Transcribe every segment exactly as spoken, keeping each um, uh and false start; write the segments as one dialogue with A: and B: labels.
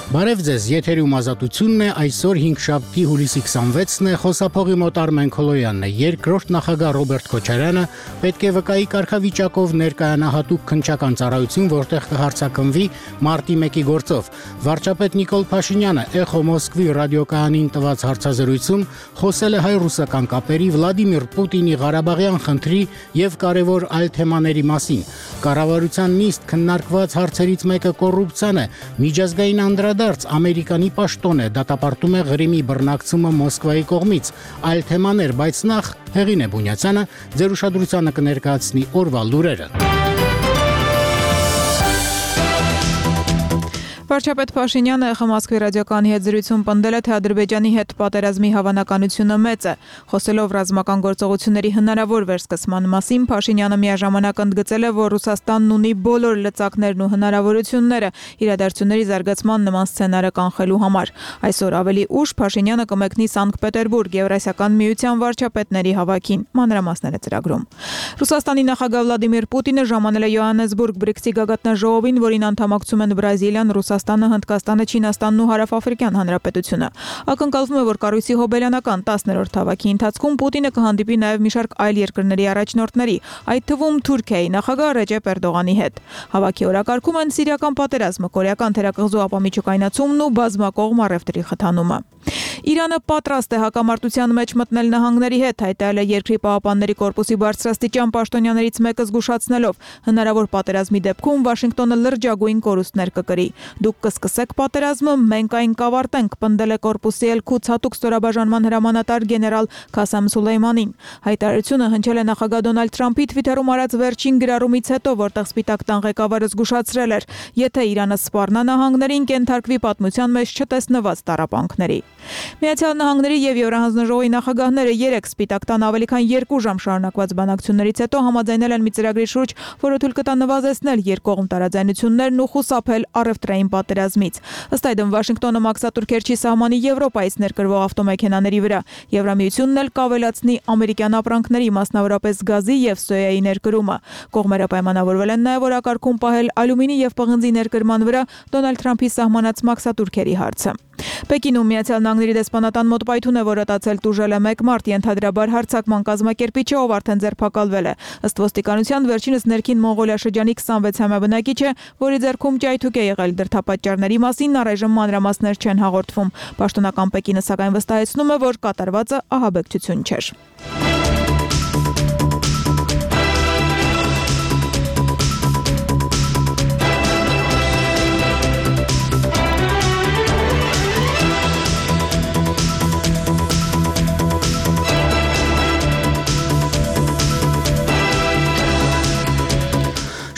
A: Բարև ձեզ, եթերում ազատությունն է, այսօր հինգշաբթի հուլիսի քսանվեցն է, խոսափողի մոտ Արմեն Քոլոյանն է, երկրորդ նախագահ Ռոբերտ Քոչարյանը պետք է վկայի կարգավիճակով ներկայանա հատուկ քննչական ծառայություն, որտեղ կհարցակնվի մարտի մեկի գործով։ Վարչապետ Նիկոլ Փաշինյանը Էխո Մոսկվի ռադիոկայանին տված հարցազրույցում խոսել է հայ-ռուսական կապերի, Վլադիմիր Պուտինի Ղարաբաղյան խնդրի եւ կարևոր այլ թեմաների մասին։ Կառավարության նիստ քննարկված հարցերից մեկը կոռուպցիան է, միջազգային անդրադարձ Ամերիկանի պաշտոն է, դատապարտում է Ղրիմի բռնակցումը Մոսկվայի կողմից, այլ թեմաներ, բայց նախ Հեղինե Բունյացյանը ձեր ուշադրությանը կներկայացնի օրվա լուրերը։
B: Վարչապետ Փաշինյանը Էխո Մոսկվի ռադիոկայանի հետ զրույցում պնդել է, թե Ադրբեջանի հետ պատերազմի հավանականությունը մեծ է։ Խոսելով ռազմական գործողությունների հնարավոր վերսկսման մասին, Փաշինյանը միաժամանակ ընդգծել է, որ Ռուսաստանն ունի բոլոր լծակներն ու հնարավորությունները իրադարձությունների զարգացման նման սցենարը կանխելու համար։ Այսօր ավելի ուշ Փաշինյանը կմեկնի Սանկտ Պետերբուրգ Եվրասիական միության վարչապետների հավաքին։ Մանրամասները ծրագրում։ Ռուսաստանի նախագահ Վլադիմիր Պուտինը ժամանել է Յոհաննեսբուրգ բրիքսի գագաթնաժողովին, որին անդամակցում են Բրազիլիան, Ռուսաստանը, Հնդկաստանը, Չինաստանն ու Հարավաֆրիկյան Հանրապետությունը։ Ակնկալվում է, որ կառույցի հոբելյանական տասներորդ հավաքի ընթացքում Պուտինը կհանդիպի նաև մի շարք այլ երկրների առաջնորդների, այդ թվում Թուրքիայի նախագահ Ռեջեփ Էրդողանի հետ։ Հավաքի օրակարգում են սիրիական պատերազմը, կորեական թերակղզու ապամիջուկայնացումն ու բազմակողմ առևտրի խթանումը։ Իրանը պատրաստ է հակամարտության մեջ մտնել նահանգների հետ, հայտարարել է Երկրի պահապանների կորպուսի բարձրաստիճան պաշտոնյաներից մեկը զգուշացնելով, հնարավոր պատերազմի դեպքում Վաշինգտոնը լրջագույն կորուստներ կկրի։ Դուք կսկսեք պատերազմը, մենք այն կավարտենք, պնդել է կորպուսի Էլ-Քուդս հատուկ ստորաբաժանման հրամանատար գեներալ Քասեմ Սուլեյմանին։ Հայտարարությունը հնչել է նախագահ Դոնալդ Թրամփի Թվիթերում արած վերջին գրառումից հետո, որտեղ Սպիտակ տան ղեկավարը զգուշացրել էր, եթե Իրանը սպառնա նահանգներին, կենթարկվի պատմության մեջ չտեսնված տառապանքների։ Միացյալ Նահանգների եւ Եվրահանձնաժողովի նախագահները երեք Սպիտակ տան ավելի քան երկու ժամ շարունակված բանակցություններից հետո համաձայնել են մի ծրագրի շուրջ, որը թույլ կտա նվազեցնել երկկողմ տարաձայնություններն ու խուսափել առևտրային պատերազմից։ Ըստ այդմ Վաշինգտոնը մաքսատուր Քերչի սահմանի Եվրոպայից ներկրվող ավտոմեքենաների վրա Եվրամիությունն էլ կավելացնի ամերիկյան ապրանքների, մասնավորապես գազի եւ սոյայի ներկրումը։ Կողմերը պայմանավորվել են նաեւ օրակարգում պահել ալյումինի եւ պղնձի ներկրման վրա Դոնալդ Թրամփի սահմանած մաքսատուրքերի հարցը։ Պեկինում Միացյալ Նահանգների դեսպանատան մոտ պայթուն է, որ ատացել տուժել է մեկ մարդ, ենթադրաբար հարձակման կազմակերպիչը, ով արդեն ձերբակալվել է։ Ըստ ոստիկանության վերջինս ներքին Մոնղոլիա շրջանի քսանվեցամյա բնակիչ է, որի ձեռքում ճայթուկ է եղել, դրդապատճառների մասին առայժմ մանրամասներ չեն հաղորդվում։ Պաշտոնական Պեկինը սակայն վստահեցնում է, որ կատարվածը ահաբեկչություն չէր։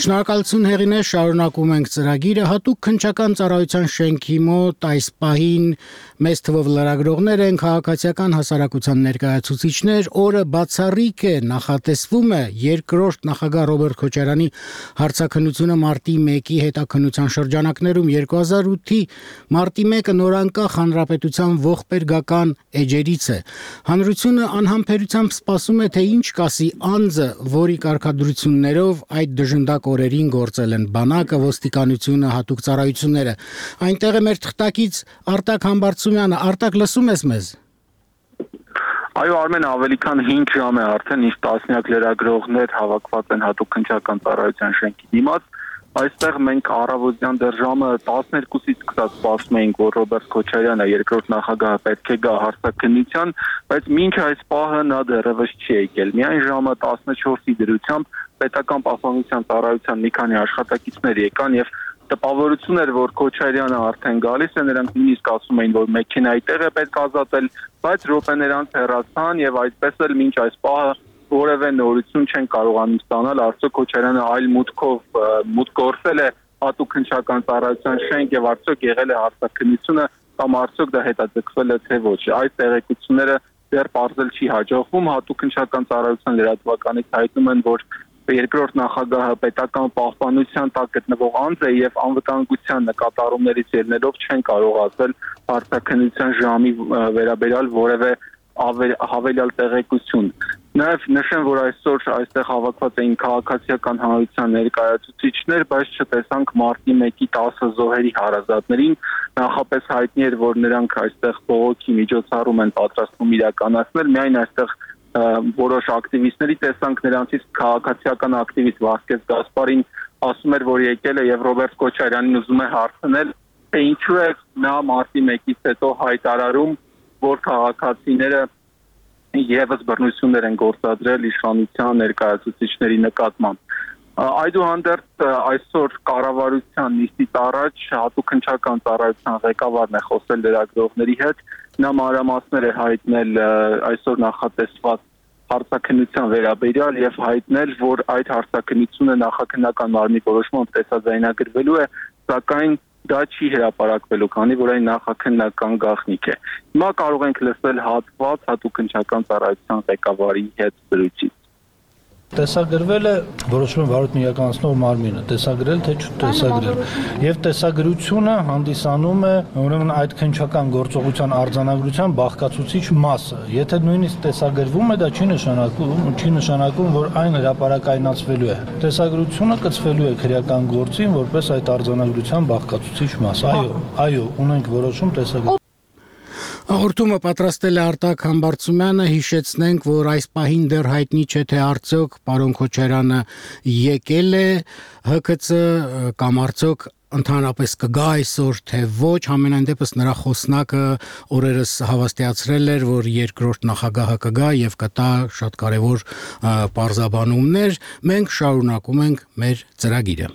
A: Շնորհակալություն Հեղինե, շարունակում ենք ծրագիրը հատուկ քննչական ծառայության շենքի մոտ այս պահին մեծ թվով լրագրողներ են, քաղաքացիական հասարակության ներկայացուցիչներ, օրը բացառիկ է, նախատեսվում է երկրորդ նախագահ Ռոբերտ Քոչարյանի հարցաքննությունը մարտի մեկի հետաքննության շրջանակներում երկու հազար ութի մարտի մեկը նորանկախ հանրապետության ողբերգական էջերից է։ Հանրությունը անհամբերությամբ սպասում է, թե ինչ կասի անձը, որի կարգադրություններով այդ դժնդակ օրերին գործել են բանակը, ոստիկանությունը, հատուկ ծառայությունները։ Այնտեղ է մեր թղթակից Արտակ Համբարձումյանը։ Արտակ, լսում ես մեզ։
C: Այո, Արմեն, ավելի քան հինգ ժամ է արդեն, իսկ տասնյակ լրագրողներ հավաքված են հատուկ քննչական ծառայության շենքի դիմաց։ Այստեղ մենք առավոտյան դեռ ժամը տասներկուսից սկսած սպասում էինք, որ Ռոբերտ Քոչարյանը, երկրորդ նախագահը, պետք է գա հարցաքննության, բայց մինչ այս պահը նա դեռևս չի եկել։ Միայն ժամը տասնչորսի դրությամբ պետական պաշտպանության ծառայության մի քանի աշխատակիցներ եկան եւ տպավորություն էր, որ Քոչարյանը արդեն գալիս է, նրանք նույնիսկ ասում էին, որ մեքենայի տեղ է պետք ազատել, բայց րոպեներ անց հեռացան եւ այդպես էլ մինչ այս պահը որևէ նորություն չեն կարողանում ստանալ, արդյոք Քոչարյանը այլ մուտքով մուտք գործել է հատուկ քննչական ծառայության շենք եւ արդյոք եղել է հարցաքննությունը կամ արդյոք դա հետաձգվել է թե ոչ։ Այս տեղեկությունները դեռ բարձել չի հաջողվում, հատուկ քննչական ծառայության լրատվականից հայտնում են, որ երկրորդ նախագահը պետական պահպանության տակ գտնվող անձ է եւ անվտանգության նկատառումներից ելնելով չեն կարող ասել հարցաքննության ժամի վերաբերյալ որևէ հավելյալ տեղեկություն։ Նաև նշեմ, որ այսօր այստեղ հավաքված էին քաղաքացիական հանրության ներկայացուցիչներ, բայց չտեսանք մարտի մեկի տասը զոհերի հարազատներին, նախապես հայտնի էր, որ նրանք այստեղ բողոքի միջոցառում են պատրաստվում իրականացնել, միայն այստեղ որոշ ակտիվիստների տեսանք, նրանցից քաղաքացիական ակտիվիստ Վասկես Գասպարին ասում էր, որ եկել է եւ Ռոբերտ Քոչարյանին ուզում է հարցնել, թե ինչու է նա մարտի մեկից հետո հայտարարում, որ քաղաքացիները եւս բռնություններ են գործադրել իշխանության ներկայացուցիչների նկատմամբ։ Այդուհանդերձ այսօր կառավարության նիստից առաջ հատուկ հնչական ծառայության ղեկավարն է խոսել լրագրողների հետ, նա մանրամասներ է հայտնել այսօր նախատեսված հարցաքննության վերաբերյալ եւ հայտնել, որ այդ հարցաքննությունը նախաքննական մարմնի որոշմամբ տեսաձայնագրվելու է, սակայն դա չի հրապարակվելու, քանի որ այն նախաքննական գաղտնիք է։ Հիմա կարող ենք լսել հատված հատուկ հնչական ծառայության ղեկավարի հետ զրույցից։
D: Տեսագրվել է որոշումը վարույթն իրականացնող մարմինը, տեսագրել թե չտեսագրել։ Եվ տեսագրությունը հանդիսանում է ուրեմն այդ քննչական գործողության արձանագրության բաղկացուցիչ մասը։ Եթե նույնիսկ տեսագրվում է, դա չի նշանակում, չի նշանակում, որ այն հրապարակայնացվելու է։ Տեսագրությունը կցվելու է քրեական գործին որպես այդ արձանագրության բաղկացուցիչ մաս։ Այո, այո, ունենք որոշում տեսագրել։
A: Հաղորդումը պատրաստել է Արտակ Համբարձումյանը, հիշեցնենք, որ այս պահին դեռ հայտնի չէ, թե արդյոք պարոն Քոչարյանը եկել է Հ K C կամ արդյոք ընդհանրապես կգա այսօր, թե ոչ, համենայն դեպս նրա խոսնակը օրերս հավաստիացրել էր, որ երկրորդ նախագահը կգա եւ կտա շատ կարեւոր պարզաբանումներ, մենք շարունակում ենք մեր ծրագիրը։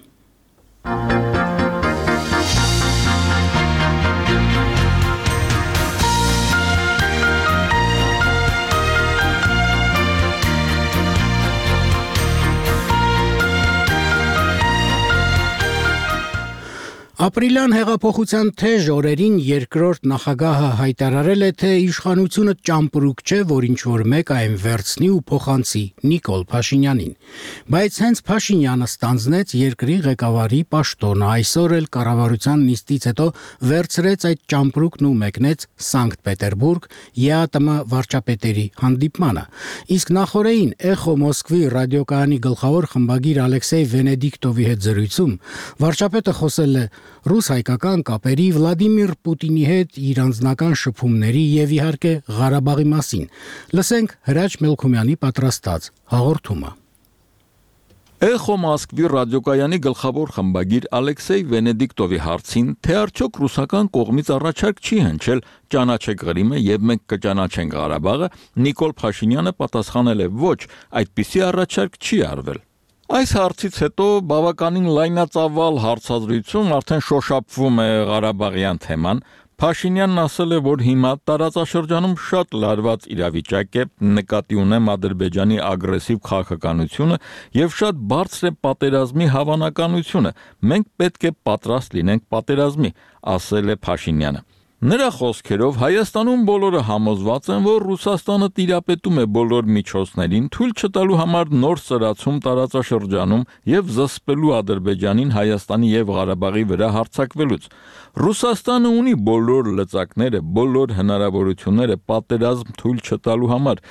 A: Ապրիլյան հեղափոխության թեժ օրերին երկրորդ նախագահը հայտարարել է, թե իշխանությունը ճամպրուկ չէ, որ ինչ-որ մեկ այն վերցնի ու փոխանցի Նիկոլ Փաշինյանին։ Բայց հենց Փաշինյանը ստանձնեց երկրի ղեկավարի պաշտոնը, այսօր էլ կառավարության նիստից հետո վերցրեց այդ ճամպրուկն ու մեկնեց Սանկտ Պետերբուրգ Ե A T M վարչապետերի հանդիպմանը։ Իսկ նախորդին Էխո Մոսկվի ռադիոկայանի գլխավոր խմբագիր Ալեքսեյ Վենեդիկտովի հետ զրույցում վարչապետը խոսել է ռուս-հայկական կապերի, Վլադիմիր Պուտինի հետ իր անձնական շփումների եւ իհարկե Ղարաբաղի մասին։ Լսենք Հրաչ Մելքումյանի պատրաստած հաղորդումը։
E: Էխո Մոսկվի ռադիոկայանի գլխավոր խմբագիր Ալեքսեյ Վենեդիկտովի հարցին, թե արդյոք ռուսական կողմից առաջարկ չի հնչել ճանաչեք Ղրիմը եւ մենք կճանաչենք Ղարաբաղը, Նիկոլ Փաշինյանը պատասխանել է ոչ, այդպիսի առաջարկ չի արվել։ Այս հարցից հետո բավականին լայնածավալ հարցազրույցում արդեն շոշափվում է Ղարաբաղյան թեման, Փաշինյանն ասել է, որ հիմա տարածաշրջանում շատ լարված իրավիճակ է, նկատի ունեմ Ադրբեջանի ագրեսիվ քաղաքականությունը եւ շատ բարձր է պատերազմի հավանականությունը։ Մենք պետք է պատրաստ լինենք պատերազմի, ասել է Փաշինյանը։ Նրա խոսքերով Հայաստանում բոլորը համոզված են, որ Ռուսաստանը տիրապետում է բոլոր միջոցներին, թույլ չտալու համար նոր սրացում տարածաշրջանում եւ զսպելու Ադրբեջանին Հայաստանի եւ Ղարաբաղի վրա հարձակվելուց։ Ռուսաստանը ունի բոլոր լծակները, բոլոր հնարավորությունները պատերազմ թույլ չտալու համար,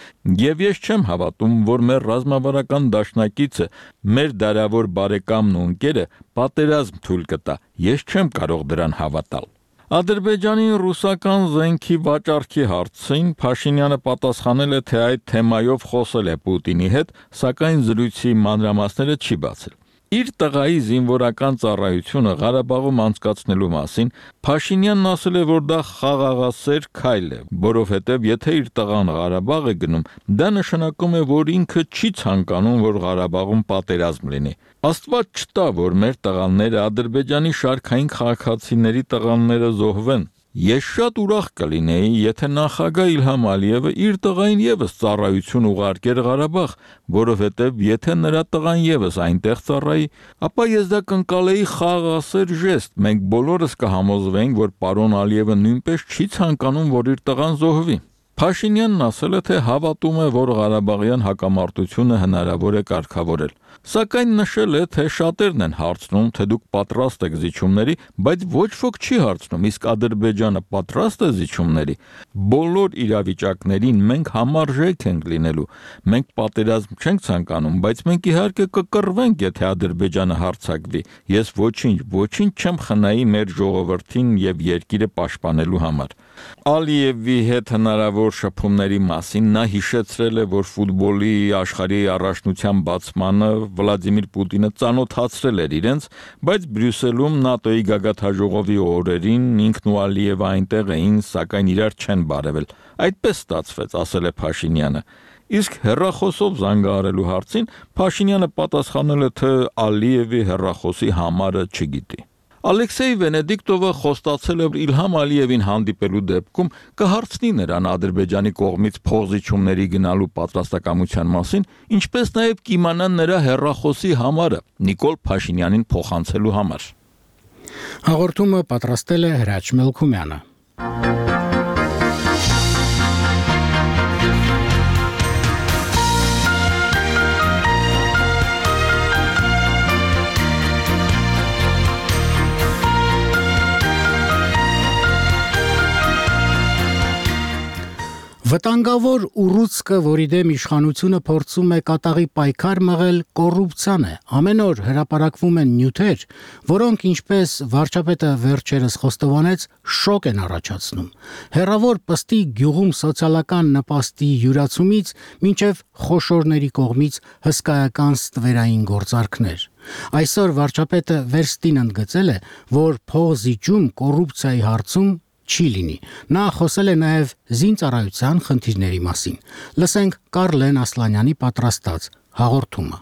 E: եւ ես չեմ հավատում, որ մեր ռազմավարական դաշնակիցը, մեր դարավոր բարեկամն ու ընկերը պատերազմ թույլ կտա։ Ես չեմ կարող դրան հավատալ։ Ադրբեջանի ռուսական զենքի վաճառքի հարցին Փաշինյանը պատասխանել է, թե այդ թեմայով խոսել է Պուտինի հետ, սակայն զրույցի մանրամասները չի բացել։ Իր տղայի զինվորական ծառայությունը Ղարաբաղում անցկացնելու մասին Փաշինյանն ասել է, որ դա խաղաղասեր քայլ է, որովհետև եթե իր տղան Ղարաբաղ է գնում, դա նշանակում է, որ ինքը չի ցանկանում, որ Ղարաբաղում պատերազմ լինի։ Աստված չտա, որ մեր տղաները Ադրբեջանի շարքային քաղաքացիների տղաները զոհվեն։ Ես շատ ուրախ կլինեի, եթե նախագահ Իլհամ Ալիևը իր տղային եւս ծառայություն ուղարկեր Ղարաբաղ, որովհետեւ եթե նրա տղան եւս այնտեղ ծառայի, ապա ես դա կընկալեի խաղաղասեր ժեստ։ Մենք բոլորս կհամոզվենք, որ պարոն Ալիևը նույնպես չի ցանկանում, որ իր տղան զոհվի։ Փաշինյանն ասել է, թե հավատում է, որ Ղարաբաղյան հակամարտությունը հնարավոր է կարգավորել։ Սակայն նշել է, թե շատերն են հարցնում, թե դուք պատրաստ եք զիջումների, բայց ոչ ոք չի հարցնում, իսկ Ադրբեջանը պատրաստ է զիջումների։ Բոլոր իրավիճակներին մենք համարժեք ենք լինելու։ Մենք պատերազմ չենք ցանկանում, բայց մենք իհարկե կկռվենք, եթե Ադրբեջանը հարձակվի։ Ես ոչինչ, ոչինչ չեմ խնայի մեր ժողովրդին եւ երկիրը պաշտպանելու համար։ Ալիևի հետ հնարավոր շփումների մասին նա հիշեցրել է, որ ֆուտբոլի աշխարհի առաջնության բացմանը Վլադիմիր Պուտինը ծանոթացրել էր իրենց, բայց Բրյուսելում ՆԱՏՕ-ի գագաթաժողովի օրերին ինքն ու Ալիևը այնտեղ էին, սակայն իրար չեն բարևել։ Այդպես ստացվեց, ասել է Փաշինյանը։ Իսկ հեռախոսով զանգահարելու հարցին Փաշինյանը պատասխանել է, թե Ալիևի հեռախոսի համարը չգիտի։ Ալեքսեյ Վենեդիկտովը խոստացել է, որ Իլհամ Ալիևին հանդիպելու դեպքում կհարցնի նրան Ադրբեջանի կողմից փոխզիջումների գնալու պատրաստակամության մասին, ինչպես նաև կիմանա նրա հեռախոսի համարը Նիկոլ Փաշինյանին փոխանցելու համար։
A: Հաղորդումը պատրաստել է Հրաչ Մելքումյանը։ Վտանգավոր ուռուցքը, որի դեմ իշխանությունը փորձում է կատաղի պայքար մղել, կոռուպցիան է։ Ամեն օր հրապարակվում են նյութեր, որոնք, ինչպես վարչապետը վերջերս խոստովանեց, շոկ են առաջացնում։ Հեռավոր Պստի գյուղում սոցիալական նպաստի յուրացումից մինչև խոշորների կողմից հսկայական ստվերային գործարքներ։ Այսօր վարչապետը վերստին ընդգծել է, որ փոխզիջում կոռուպցիայի հարցում չի լինի։ Նա խոսել է նաև զինծառայության խնդիրների մասին։ Լսենք Կարլեն Ասլանյանի պատրաստած հաղորդումը։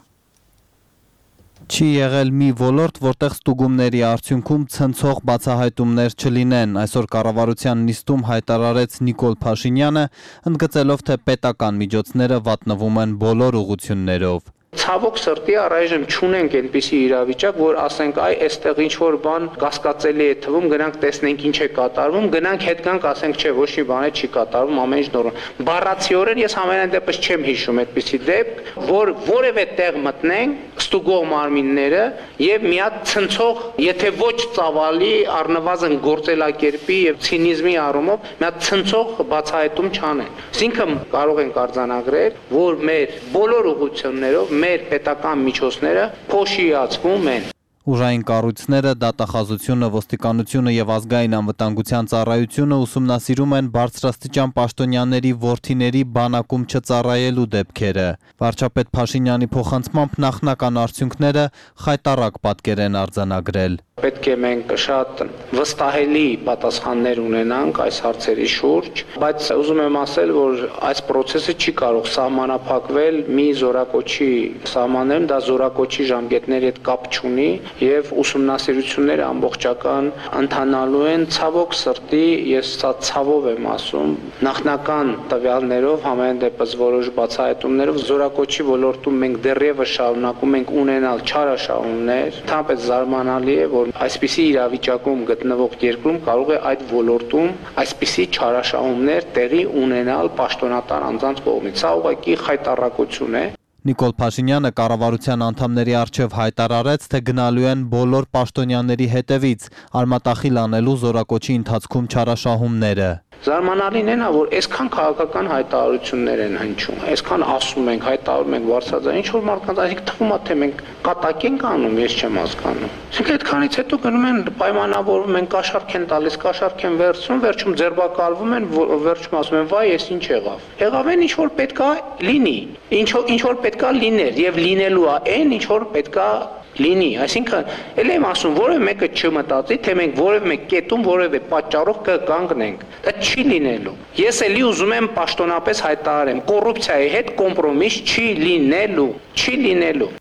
F: Չի եղել մի ոլորտ, որտեղ ստուգումների արդյունքում ցնցող բացահայտումներ չլինեն, այսօր կառավարության նիստում հայտարարեց Նիկոլ Փաշինյանը, ընդգծելով, թե պետական միջոցները վատնվում են բոլոր ուղղություններով։
G: Ցավոք սրտի առայժմ չունենք այնպիսի իրավիճակ, որ ասենք այ այստեղ ինչ որ բան կասկածելի է թվում, գնանք տեսնենք ինչ է կատարվում, գնանք հետ գանք ասենք չէ, ոչ մի բան չի կատարվում, ամեն ինչ նորմալ։ Բառացիորեն ես ամենայն դեպս չեմ հիշում այդպիսի դեպք, որ որևէ տեղ մտնենք ստուգող մարմինները եւ մի հատ ցնցող, եթե ոչ ծավալի, առնվազն գործելակերպի եւ ցինիզմի առումով մի հատ ցնցող բացահայտում չանեն։ Այսինքն կարող ենք արձանագրել, որ մեր բոլոր ուղղություններով մեր պետական միջոցները փոշիացվում են։
F: Ուժային կառույցները, դատախազությունը, ոստիկանությունը եւ ազգային անվտանգության ծառայությունը ուսումնասիրում են բարձրաստիճան պաշտոնյաների որդիների բանակում չծառայելու դեպքերը։ Վարչապետ Փաշինյանի փոխանցմամբ նախնական արդյունքները խայտառակ պատկեր են արձանագրել։
G: Պետք է մենք շատ վստահելի պատասխաններ ունենանք այս հարցերի շուրջ, բայց ուզում եմ ասել, որ այս process-ը չի կարող սահմանափակվել մի զորակոչի սահմաններում, դա զորակոչի ժամկետների հետ կապ չունի եւ ուսումնասիրությունները ամբողջական ընթանալու են։ Ցավոք սրտի, ես սա ցավով եմ ասում, նախնական տվյալներով, համեն դեպս որոշ բացահայտումներով զորակոչի ոլորտում մենք դեռևս շարունակում ենք ունենալ չարաշահումներ, թափեց զարմանալի է, որ այսպիսի իրավիճակում գտնվող երկրում կարող է այդ ոլորտում այսպիսի չարաշահումներ տեղի ունենալ պաշտոնատար անձանց կողմից։ Սա ուղղակի խայտառակություն է։
F: Նիկոլ Փաշինյանը կառավարության անդամների առջև հայտարարեց, թե գնալու են բոլոր պաշտոնյաների հետևից, արմատախիլ անելու զորակոչի ընթացքում չարաշահումները։
G: Զարմանալին է նա, որ այսքան քաղաքական հայտարարություններ են հնչում, այսքան ասում ենք, հայտարարում ենք բարձրաձայն, ինչ որ մարդկանց այսինքն թվում է, թե մենք կատակ ենք անում, ես չեմ հասկանում։ Այսինքն այդքանից հետո գնում են պայմանավորվում են, կաշառք են տալիս, կաշառք են վերցնում, վերջում ձերբակալվում են, վերջում ասում են, վայ, ես ինչ եղավ։ Եղավ են ինչ որ պետքա լինի, ինչ ինչ որ պետքա լիներ եւ լինելու է այն, ինչ որ պետքա լինի, այսինքն էլ եմ ասում, որևէ մեկը չմտածի, թե մենք որևէ մեկ կետում որևէ պատճառով կկանգնենք։ Դա չի լինելու։ Ես էլի ուզում եմ պաշտոնապես հայտարարեմ, կոռուպցիայի հետ կոմպրոմիս չի լինելու, չի լինելու։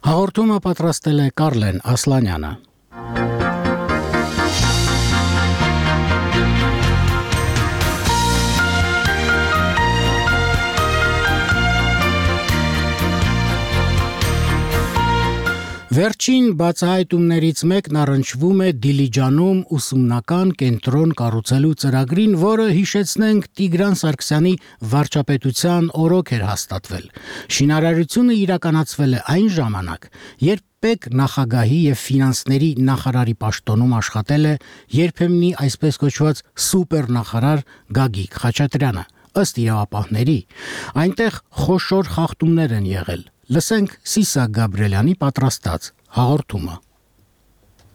A: Հաղորդումը պատրաստել է Կարլեն Ասլանյանը։ Վերջին բացահայտումներից մեկն առնչվում է Դիլիջանում ուսումնական կենտրոն կառուցելու ծրագրին, որը հիշեցնենք Տիգրան Սարգսյանի վարչապետության օրոք էր հաստատվել։ Շինարարությունը իրականացվել է այն ժամանակ, երբ Պետ նախագահի եւ ֆինանսների նախարարի պաշտոնում աշխատել է երբեմնի այսպես կոչված սուպեր նախարար Գագիկ Խաչատրյանը, ըստ իրավապահների, այնտեղ խոշոր խախտումներ են եղել։ Լսենք Սիսա Գաբրելյանի պատրաստած հաղորդումը։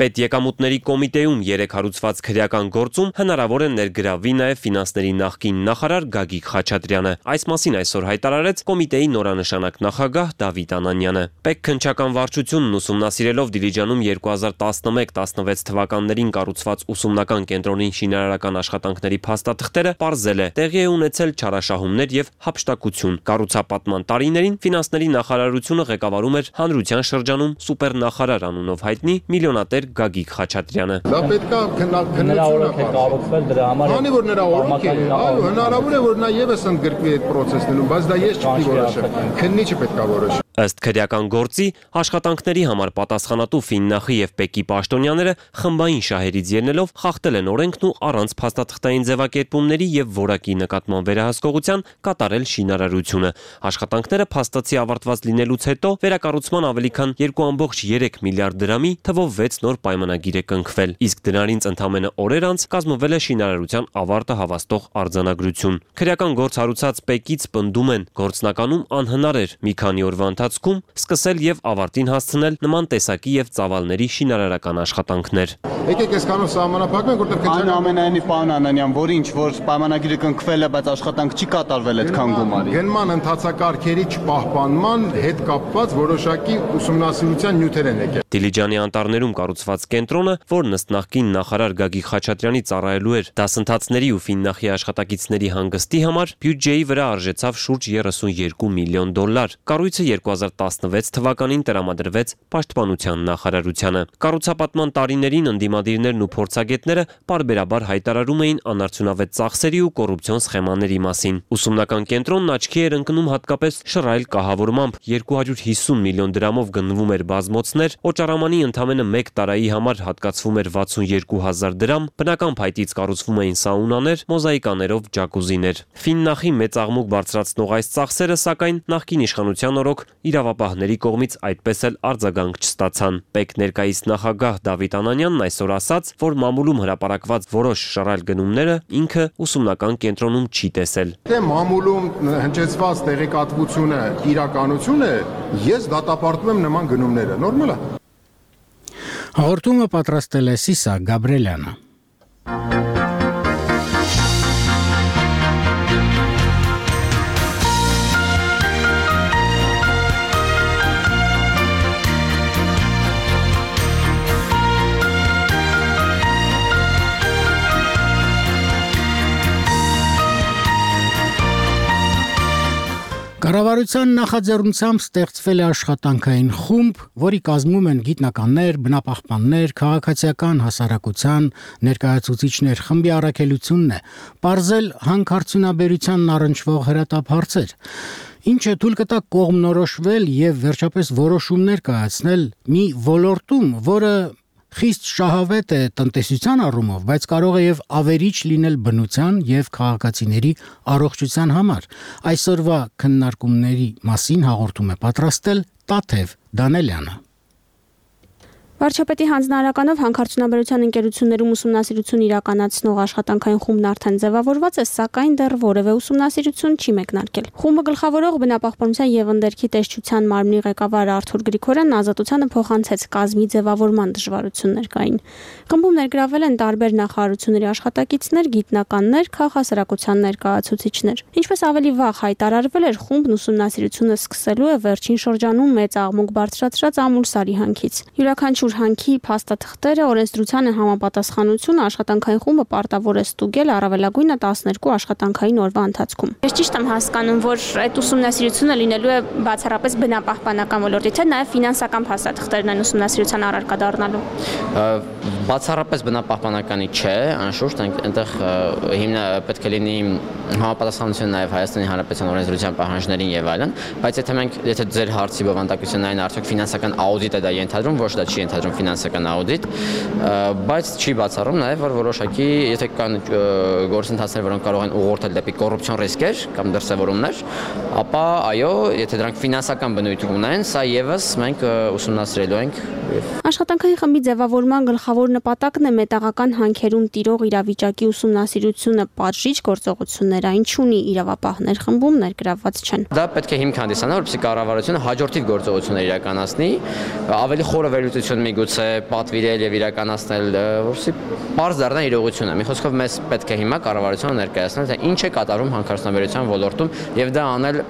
H: Պետեկամուտների կոմիտեում երեք հարուցված քրեական գործում հնարավոր է ներգրավվի նաև ֆինանսների նախկին նախարար Գագիկ Խաչատրյանը։ Այս մասին այսօր հայտարարեց կոմիտեի նորանշանակ նախագահ Դավիթ Անանյանը։ Պետ քննչական վարչությունն ուսումնասիրելով Դիլիջանում երկու հազար տասնմեկ տասնվեց թվականներին կառուցված ուսումնական կենտրոնի շինարարական աշխատանքների փաստաթղթերը պարզել է տեղի է ունեցել չարաշահումներ եւ հափշտակություն։ Կառուցապատման տարիներին ֆինանսների նախարարությունը ղեկավարում էր հանրության շրջանում սուպերնախարար անունով հայտնի միլիոնատեր Գագիկ Խաչատրյանը։
I: Դա պետք է քննարկվել դրա համար։ Քանի որ նրա օրոք է, այո, հնարավոր է որ նա եւս ընդգրկվի այդ process-ներում, բայց դա ես չպետք է որոշեմ։ Քննիչը պետք է որոշի։
H: Ըստ քրեական գործի աշխատանքների համար պատասխանատու Ֆիննախի եւ Պեկի պաշտոնյաները խմբային շահերից ելնելով խախտել են օրենքն ու առանց փաստաթղթային ձևակերպումների եւ որակի նկատմամբ վերահսկողության կատարել շինարարությունը։ Աշխատանքները փաստացի ավարտված լինելուց հետո վերակառուցման ավելի քան երկու կόμma երեք միլիարդ դրամի թվով վեց նոր պայմանագիր է կնքվել, իսկ դրանից ընդամենը օրեր անց կազմվել է շինարարության ավարտը հավաստող արձանագրություն։ Քրեական գործ հարուցած Պեկից պնդում են, գործնականում անհնար էր մի քանի օրվա ընթացքում սկսել եւ ավարտին հասցնել նման տեսակի եւ ծավալների շինարարական աշխատանքներ։
I: Եկեք այսքանով սահմանափակենք, որտեղ
F: քննարկում այնուամենայնիվ պարոն Անանյան, որ ինչ որ պայմանագիրը կնքվել է, բայց աշխատանք չի կատարվել այդքան գումարի։
I: Գնման ընթացակարգերի չպահպանման հետ կապված որոշակի ուսումնասիրության նյութեր են եկել։
H: Դիլիջանի անտառներում կառուցված կենտրոնը, որն ըստ նախկին նախարար Գագիկ Խաչատրյանի ծառայելու էր դասընթացների ու Ֆիննախի աշխատակիցների հանգստի համար, բյուջեի վրա արժեցավ շուրջ երեսունյոթ միլիոն դոլար։ Կառույցը երկու հազար տասնվեց թվականին տրամադրվեց Պաշտպանության նախարարությանը։ Կառուցապատման տարիներին ընդդիմադիրներն ու փորձագետները պարբերաբար հայտարարում էին անարդյունավետ ծախսերի ու կոռուպցիոն սխեմաների մասին։ Ուսումնական կենտրոնն աչքի էր ընկնում հատկապես շռայլ կահավորմամբ երկու հարյուր հիսուն միլիոն դրամով գնվում էր բազմոցներ, օճառամանի ընդամենը մեկ տարայի համար հատկացվում էր վաթսունյոթ հազար դրամ, բնական փայտից կառուցվում էին սաունաներ, մոզաիկաներով ջակուզիներ։ Ֆիննախի մեծ աղմուկ բարձրացնող այս ծախսերը, սակայն նախկին իշխանության օրոք իրավապահների կողմից այդպես էլ արձագանք չստացան։ Պետ ներկայիս նախագահ Դավիթ Անանյանն այսօր ասաց, որ մամուլում հրապարակված որոշ շռայլ գնումները ինքը ուսումնական կենտրոնում չի տեսել։
I: Թե մամուլում հնչեցված տեղեկատվությունը իրականություն է, ես դատապարտում եմ նման գնումները։ Նորմալ է։
A: Հաղորդումը պատրաստել է Սիսա Գաբրելյանը։ Կառավարության նախաձեռնությամբ ստեղծվել է աշխատանքային խումբ, որի կազմում են գիտնականներ, բնապահպաններ, քաղաքացիական հասարակության ներկայացուցիչներ։ Խմբի առաքելությունն է պարզել հանքարդյունաբերությանն առնչվող հրատապ հարցեր, ինչը թույլ կտա կողմնորոշվել եւ վերջապես որոշումներ կայացնել մի ոլորտում, որը խիստ շահավետ է տնտեսության առումով, բայց կարող է եւ ավերիչ լինել բնության եւ քաղաքացիների առողջության համար։ Այսօրվա քննարկումների մասին հաղորդում է պատրաստել Տաթև Դանելյանը։
J: Վարչապետի հանձնարարականով հանքարդյունաբերության ընկերություններում ուսումնասիրություն իրականացնող աշխատանքային խումբն արդեն ձևավորված է, սակայն դեռ որևէ ուսումնասիրություն չի մեկնարկել։ Խումբը գլխավորող բնապահպանության եւ ընդերքի տեսչության մարմնի ղեկավար Արթուր Գրիգորյանն ազատությանը փոխանցեց կազմի ձևավորման դժվարություններ կային։ Խմբում ներգրավել են տարբեր նախարարությունների աշխատակիցներ, գիտնականներ, քաղաքասարակության ներկայացուցիչներ։ Ինչպես ավելի վաղ հայտարարվել էր, խումբն ուսումնասիրությունը սկսելու է վերջին շրջանում մեծ աղմուկ բարձրացրած Ամուլսարի հանքից։ Յուրաքանչյուր հանքի փաստաթղթերը, օրենսդրությանը համապատասխանությունը աշխատանքային խումբը պարտավոր է ստուգել առավելագույնը տասներկու աշխատանքային օրվա ընթացքում։ Ես ճիշտ եմ հասկանում, որ այդ ուսումնասիրությունը լինելու է բացառապես բնապահպանական ոլորտի, թե նաև ֆինանսական փաստաթղթերն են ուսումնասիրության առարկա դառնալու։
K: Բացառապես բնապահպանականի չէ, անշուշտ այնտեղ հիմնա պետք է լինի համապատասխանություն նաև Հայաստանի Հանրապետության օրենսդրության պահանջներին եւ այլն, բայց եթե մենք եթե ձեր հարցի բովանդակությունն այն արդյոք ֆինանսական աուդիտ է դա ենթադրում, ոչ դա չի ենթադրում ֆինանսական աուդիտ, բայց չի բացառում նաև որ որոշակի եթե կան գործընթացներ, որոնք կարող են ուղղորդել դեպի կոռուպցիոն ռիսկեր կամ դրսևորումներ, ապա այո, եթե դրանք ֆինանսական բնույթ ունեն, սա եւս մենք ուսումնասիրելու ենք։
J: Աշխատանքային խմբի ձևավորման գլխավոր նպատակն է մետաղական հանքերում տիրող իրավիճակի ուսումնասիրությունը պատժիչ գործողություններ այն չունի իրավապահներ խմբում ներգրավված չեն։
K: Դա պետք է հիմք հանդիսանա, որպեսզի կառավարությունը հաջորդիվ գործողություններ իրականացնի, ավելի խորը վերլուծություն միգուցե պատվիրել եւ իրականացնել, որպեսզի բարձ դառնա իրողությունը։ Մի խոսքով մեզ պետք է հիմա կառավարությունը ներկայացնել, թե ինչ է կատարում հանքարդյունաբերության ոլորտում եւ դա անել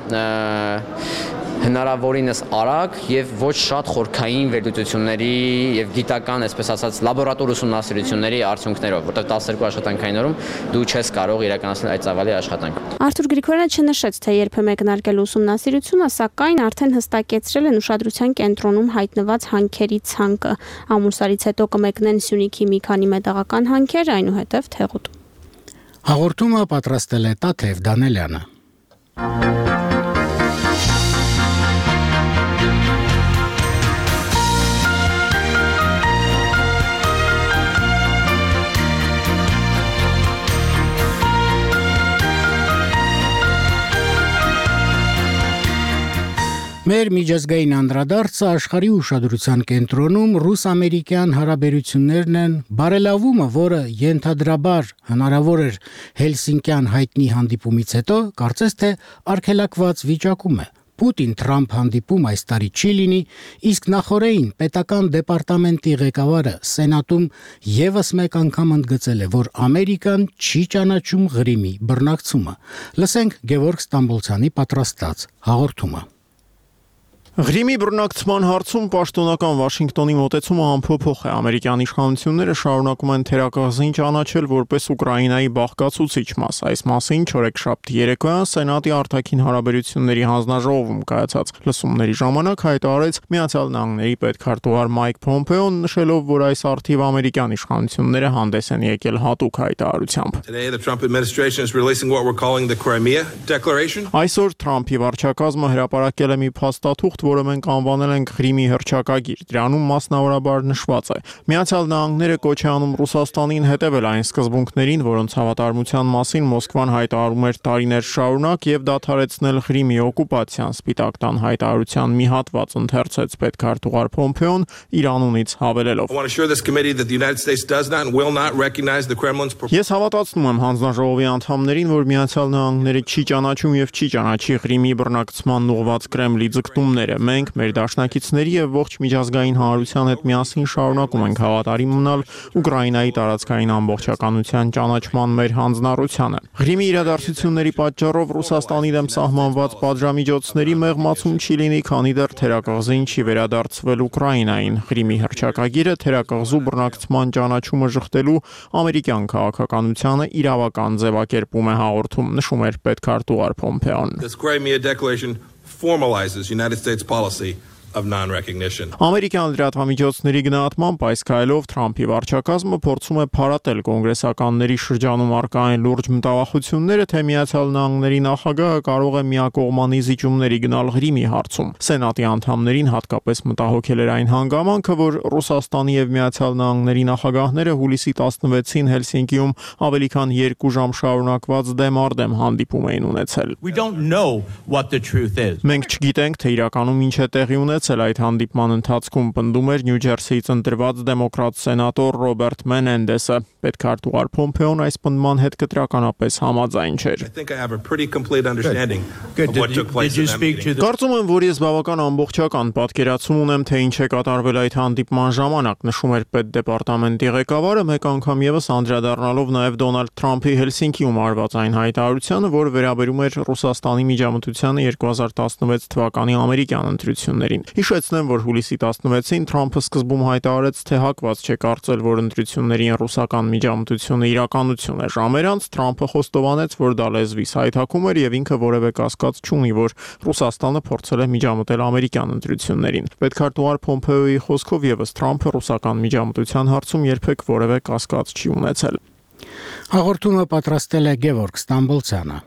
K: հնարավորինս արագ եւ ոչ շատ խորքային վերլուծությունների եւ գիտական, այսպես ասած, լաբորատոր ուսումնասիրությունների արդյունքներով, որտեղ տասներկու աշխատանքային օրում դու չես կարող իրականացնել այդ ծավալի աշխատանք։
J: Արթուր Գրիգորյանը չնշեց, թե երբ է մեկնարկել ուսումնասիրությունը, սակայն արդեն հստակեցրել են ուշադրության կենտրոնում հայտնված հանքերի ցանկը։ Ամուսարից հետո կմեկնեն Սյունիքի մի քանի մետաղական հանքեր, այնուհետև Թեղուտ։
A: Հաղորդումը պատրաստել է Տաթև Դանելյանը։ Մեր միջազգային անդրադարձը աշխարհի ուշադրության կենտրոնում ռուս-ամերիկյան հարաբերություններն են, բարելավումը, որը ենթադրաբար հնարավոր էր Հելսինկյան հայտնի հանդիպումից հետո, կարծես թե արգելակված վիճակում է։ Պուտին-Թրամփ հանդիպում այս տարի չի լինի, իսկ նախորդին պետական դեպարտամենտի ղեկավարը Սենատում եւս մեկ անգամ ընդգծել է, որ Ամերիկան չի ճանաչում Ղրիմի բռնակցումը։ Լսենք Գևորգ Ստամբոլցյանի պատրաստած հաղորդումը։
L: Ղրիմի բռնակցման հարցում պաշտոնական Վաշինգտոնի մոտեցումը ամփոփող է։ Ամերիկյան իշխանությունները շարունակում են թերակղզին ճանաչել որպես Ուկրաինայի բաղկացուցիչ մաս։ Այս մասին չորեքշաբթի երեկոյան Սենատի արտաքին հարաբերությունների հանձնաժողովում կայացած լսումների ժամանակ հայտարարեց Միացյալ Նահանգների պետքարտուղար Մայք Փոմպեոն, նշելով, որ այս արդիվ ամերիկյան իշխանությունները հանդես են եկել հատուկ հայտարարությամբ։ Այսօր Թրամփի վարչակազմը հրապարակել է մի փաստաթուղթ, որը մենք անվանել ենք Ղրիմի հռչակագիր։ Դրանում մասնավորաբար նշված է. Միացյալ Նահանգները կոչ է անում Ռուսաստանին հետևել այն սկզբունքներին, որոնց հավատարմության մասին Մոսկվան հայտարարում էր տարիներ շարունակ, եւ դադարեցնել Ղրիմի օկուպացիան։ Սպիտակ տան հայտարարության մի հատված ընթերցեց պետքարտուղար Փոմպեոն իր անունից հավելելով. Ես հավատացնում եմ հանձնաժողովի անդամներին, որ Միացյալ Նահանգները չի ճանաչում եւ չի ճանաչի Ղրիմի բռնակցման ուղղված Կրեմլի ձգտումները։ Մենք մեր դաշնակիցների եւ ողջ միջազգային հանրության հետ միասին շարունակում ենք հավատարիմ մնալ Ուկրաինայի տարածքային ամբողջականության ճանաչման մեր հանձնառությանը։ Ղրիմի իրադարձությունների պատճառով Ռուսաստանի դեմ սահմանված պատժամիջոցների մեղմացում չի լինի, քանի դեռ թերակղզին չի վերադարձվել Ուկրաինային։ Ղրիմի հռչակագիրը թերակղզու բռնակցման ճանաչումը շղթելու ամերիկյան քաղաքականությանը իրավական ձևակերպում է հաղորդում, նշում էր պետքարտուղար Փոմպեոն։
M: Formalizes United States policy of non-recognition.
L: Ամերիկյան լրատվամիջոցների գնահատմամբ այս քայլով Թրամփի վարչակազմը փորձում է փարատել կոնգրեսականների շրջանում առկա այն լուրջ մտավախությունները, թե Միացյալ Նահանգների նախագահը կարող է միակողմանի զիջումների գնալ Ղրիմի հարցում։ Սենատի անդամներին հատկապես մտահոգել էր այն հանգամանքը, որ Ռուսաստանի եւ Միացյալ Նահանգների նախագահները հուլիսի տասնվեցին Հելսինկիում ավելի քան երկու ժամ շարունակված դեմ-արդեմ հանդիպում էին ունեցել։
N: We don't know what the truth is.
L: Մենք չգիտենք, թե իրականում ինչ է տեղի ունեցել այդ հանդիպման ընթացքում, պնդում էր Նյու Ջերսիից ընտրված դեմոկրատ սենատոր Ռոբերտ Մենենդեսը։ Պետքարտուղար Փոմպեոն այս պնդման հետ կտրականապես համաձայն չէր։ Կարծում եմ, որ ես բավական ամբողջական պատկերացում ունեմ, թե ինչ է կատարվել այդ հանդիպման ժամանակ, նշում էր պետդեպարտամենտի ղեկավարը, մեկ անգամ եւս անդրադառնալով նաեւ Դոնալդ Թրամփի Հելսինկիում արված այն հայտարարությանը, որ վերաբերում էր Ռուսաստանի միջամտությանը երկու հազար տասնվեց թվականի ամերիկյան ընտրություններին։ Հիշեցնեմ, որ հուլիսի տասնվեցին Թրամփը սկզբում հայտարարեց, թե հակված չէ կարծել, որ ընտրությունների ռուսական միջամտությունը իրականություն է։ Ժամեր անց Թրամփը խոստովանեց, որ դա լեզվիս հայթակում էր եւ ինքը որևէ կասկած չունի, որ Ռուսաստանը փորձել է միջամտել ամերիկյան ընտրություններին։ Պետքարտուղար Պոմպեոյի խոսքով եւս Թրամփը ռուսական միջամտության հարցում երբեք որևէ կասկած չի ունեցել։
A: Հաղորդումը պատրաստել է Գևորգ Ստամբոլցյանը։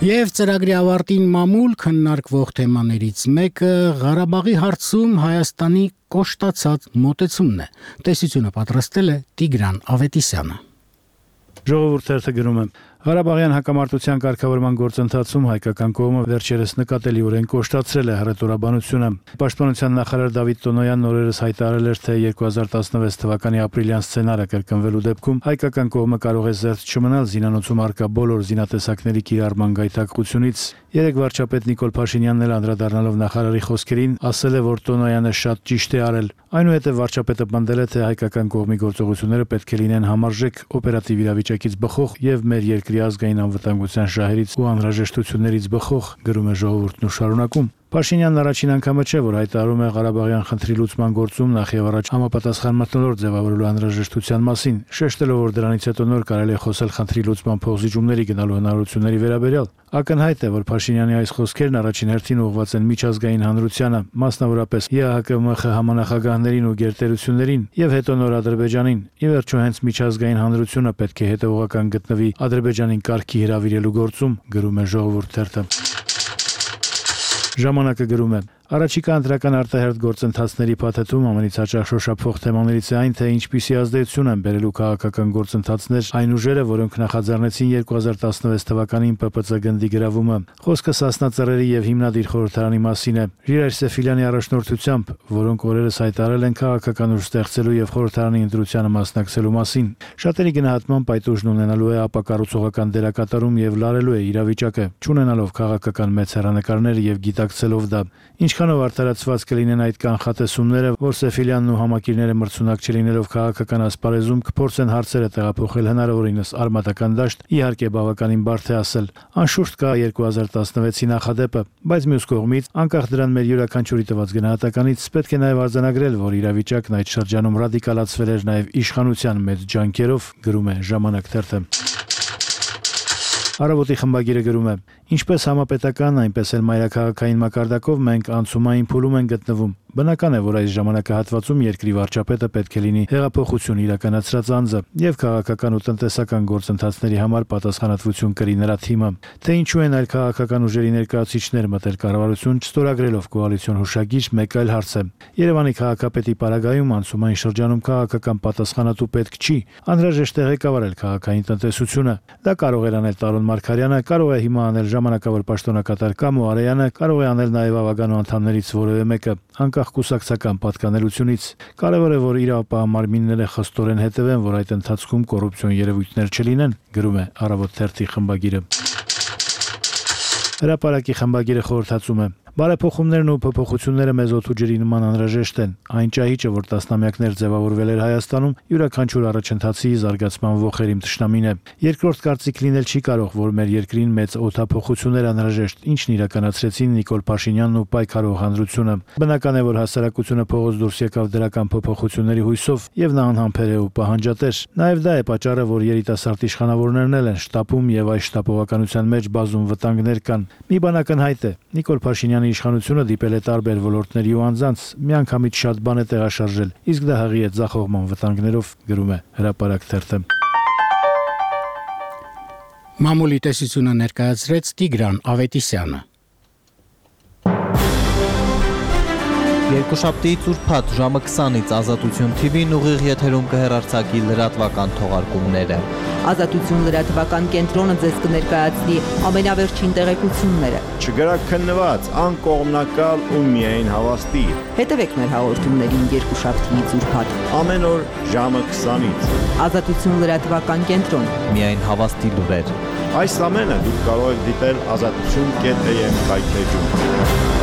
A: Եվ ծրագրի ավարտին մամուլ քննարկվող թեմաներից մեկը Ղարաբաղի հարցում Հայաստանի կոշտացած մոտեցումն է։ Տեսությունը պատրաստել է Տիգրան Ավետիսյանը։
O: Ժողովուրդ թերթը գրում է. Ղարաբաղյան հակամարտության կարգավորման գործընթացում հայկական կողմը վերջերս նկատելիորեն կոշտացրել է հռետորաբանությունը։ Պաշտպանության նախարար Դավիթ Տոնոյանն օրերս հայտարարել էր, թե երկու հազար տասնվեց թվականի ապրիլյան սցենարը կրկնվելու դեպքում հայկական կողմը կարող է զերծ չմնալ զինանոցում առկա բոլոր զինատեսակների կիրառման գայթակղությունից։ Երեկ վարչապետ Նիկոլ Փաշինյանն էլ անդրադառնալով նախարարի խոսքերին ասել է, որ Տոնոյանը շատ ճիշտ է արել։ Այնուհետև վարչապետը պնդել է, թե հայկական կողմի գործողությունները պետք է լինեն համարժեք, օպերատիվ իրավիճակից բխող եւ մեր երկրի ազգային անվտանգության շահերից ու անհրաժեշտություններից բխող, գրում է Ժողովուրդն ու շարունակում։ Փաշինյանն առաջին անգամը չէ, որ հայտարարում է Ղարաբաղյան խնդրի լուծման գործում նախ եւ առաջ համապատասխան մթնոլորտ ձևավորելու անհրաժեշտության մասին, շեշտելով, որ դրանից հետո նոր կարելի է խոսել խնդրի լուծման փոխզիջումների գնալու հնարավորությունների վերաբերյալ։ Ակնհայտ է, որ Փաշինյանի այս խոսքերն առաջին հերթին ուղղված են միջազգային հանրությանը, մասնավորապես ԵԱՀԿ-ՄԽ համանախագահներին ու գերտերություններին եւ հետո նոր Ադրբեջանին։ Ի վերջո հենց միջազգային հանրությունը պետք է հետեւողական գտնվի Ադրբեջանին կարգի հրավիրելու գործում, գրում է Ժողովուրդ թերթը։ Ժամանակը գրում է. Առաջիկա ընտրական արտահերթ գործընթացների փաթեթում ամենից հաճախ շոշափվող թեմաներից է այն, թե ինչպիսի ազդեցություն են բերելու քաղաքական գործընթացներ այն ուժերը, որոնք նախաձեռնեցին երկու հազար տասնվեց թվականին Պ Պ Ծ գնդի գրավումը։ Խոսքը Սասնա Ծռերի եւ հիմնադիր խորհրդարանի մասին է։ Ժիրայր Սեֆիլյանի առաջնորդությամբ, որոնք օրերս հայտարարել են քաղաքական ուժ ստեղծելու եւ խորհրդարանի ընտրությանը մասնակցելու մասին։ Շատերի գնահատմամբ այդ ուժն ունենալու է ապակառուցողական դերակատարում եւ լարելու է իրավիճակը, չունենալով քաղաքական մեծ հեռանկարներ եւ գիտակցելով դա։ Ինչքանով արդարացված կլինեն այդ կանխատեսումները, որ Սեֆիլյանն ու համակիրները մրցունակ չլինելով քաղաքական ասպարեզում կփորձեն հարցերը տեղափոխել հնարավորինս արմատական դաշտ, իհարկե բավականին բարդ է ասել։ Անշուշտ կա երկու հազար տասնվեցի նախադեպը, բայց մյուս կողմից, անկախ դրան մեր յուրաքանչյուրի տված գնահատականից, պետք է նաև արձանագրել, որ իրավիճակն այդ շրջանում ռադիկալացվել էր նաև իշխանության մեծ ջանքերով, գրում է Ժամանակ թերթը։ Առավոտի խմբագիրը գրում է. Ինչպես համապետական, այնպես էլ մայրաքաղաքային մակարդակով մենք անցումային փուլում են գտնվում։ Բնական է, որ այս ժամանակահատվածում երկրի վարչապետը պետք է լինի հեղափոխություն իրականացրած անձը եւ քաղաքական ու տնտեսական գործընթացների համար պատասխանատվություն կրի նրա թիմը։ Թե ինչու են այլ քաղաքական ուժերի ներկայացուցիչներ մտել կառավարություն չստորագրելով կոալիցիոն հուշագիր, մեկ այլ հարց է։ Երևանի քաղաքապետի պարագայում անցումային շրջանում քաղաքական պատասխանատու պետք չի, անհրաժեշտ է ղեկավարել քաղաքային տնտեսությունը։ Դա կարող էր անել Տարոն Մարգարյանը, կարող է հիմա անել ժամանակավոր պաշտոնակատար Կամո Արեյանը, կարող է անել նաև ավագանու անդամներից որևէ մեկը, անկախ կուսակցական պատկանելությունից։ Կարևոր է, որ իրավապահ մարմինները խստորեն հետևեն, որ այդ ընթացքում կոռուպցիոն երևույթներ չլինեն, գրում է Առավոտ թերթի խմբագիրը։ Հրապարակի խմբագիրը խորհրդածում է. Բարեփոխումներն ու փոփոխությունները մեզ օդու ջրի նման անհրաժեշտ են։ Այն ճահիճը, որ տասնամյակներ ձևավորվել էր Հայաստանում, յուրաքանչյուր առաջընթացի զարգացման ողերիմ թշնամին է։ Երկրորդ կարծիք լինել չի կարող, որ մեր երկրին մեծ օդափոխություններ անհրաժեշտ, ինչն իրականացրեցին Նիկոլ Փաշինյանն ու պայքարող հանրությունը։ Բնական է, որ հասարակությունը փողոց դուրս եկավ դրական փոփոխությունների հույսով, եւ նա անհամբեր է ու պահանջատեր։ Նաեւ դա է պատճառը, որ երիտասարդ իշխանավորներն են շտապում եւ այս շտապողականության մեջ բազում վտանգներ կան։ Մի բան ակնհայտ է. Նիկոլ Փաշինյանը իշխանությունը դիպել է տարբեր ոլորտների ու անձանց, միանգամից շատ բան է տեղաշարժել, իսկ դա հղի է ձախողման վտանգներով, գրում է Հրապարակ թերթը։
A: Մամուլի տեսությունը ներկայացրեց Տիգրան Ավետիսյանը։
F: Երկուշաբթիից ուրբաթ ժամը քսանից Ազատություն Թի Վին ուղիղ եթերում կհեռարձակի լրատվական թողարկումները։
P: Ազատություն լրատվական կենտրոնը ձեզ կներկայացնի ամենավերջին տեղեկությունները։
Q: Չգրաքննված, անկողմնակալ ու միայն հավաստի։
P: Հետևեք մեր հաղորդումներին երկուշաբթիից ուրբաթ
Q: ամեն օր ժամը քսանից։
P: Ազատություն լրատվական կենտրոն։
F: Միայն հավաստի լուրեր։
Q: Այս ամենը դուք կարող եք դիտել ազատություն կետ է եմ կայքեջում։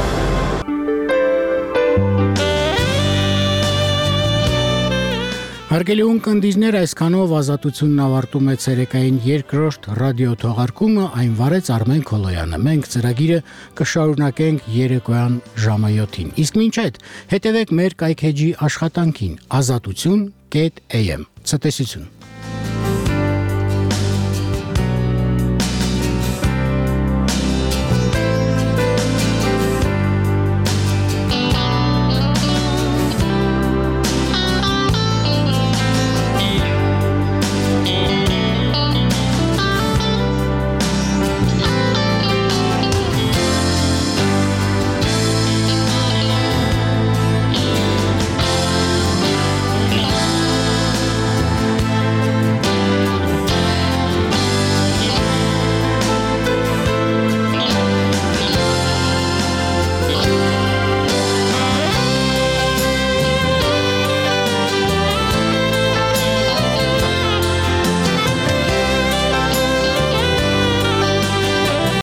A: Հարգելի ունկնդիրներ, այսքանով Ազատությունն ավարտում է ցերեկային երկրորդ ռադիո թողարկումը, այն վարեց Արմեն Քոլոյանը։ Մենք ծրագիրը կշարունակենք երեկոյան ժամը յոթին։ Իսկ մինչ այդ հետևեք մեր կայքեջի աշխատանքին ազատություն կետ am։ Ցտեսություն։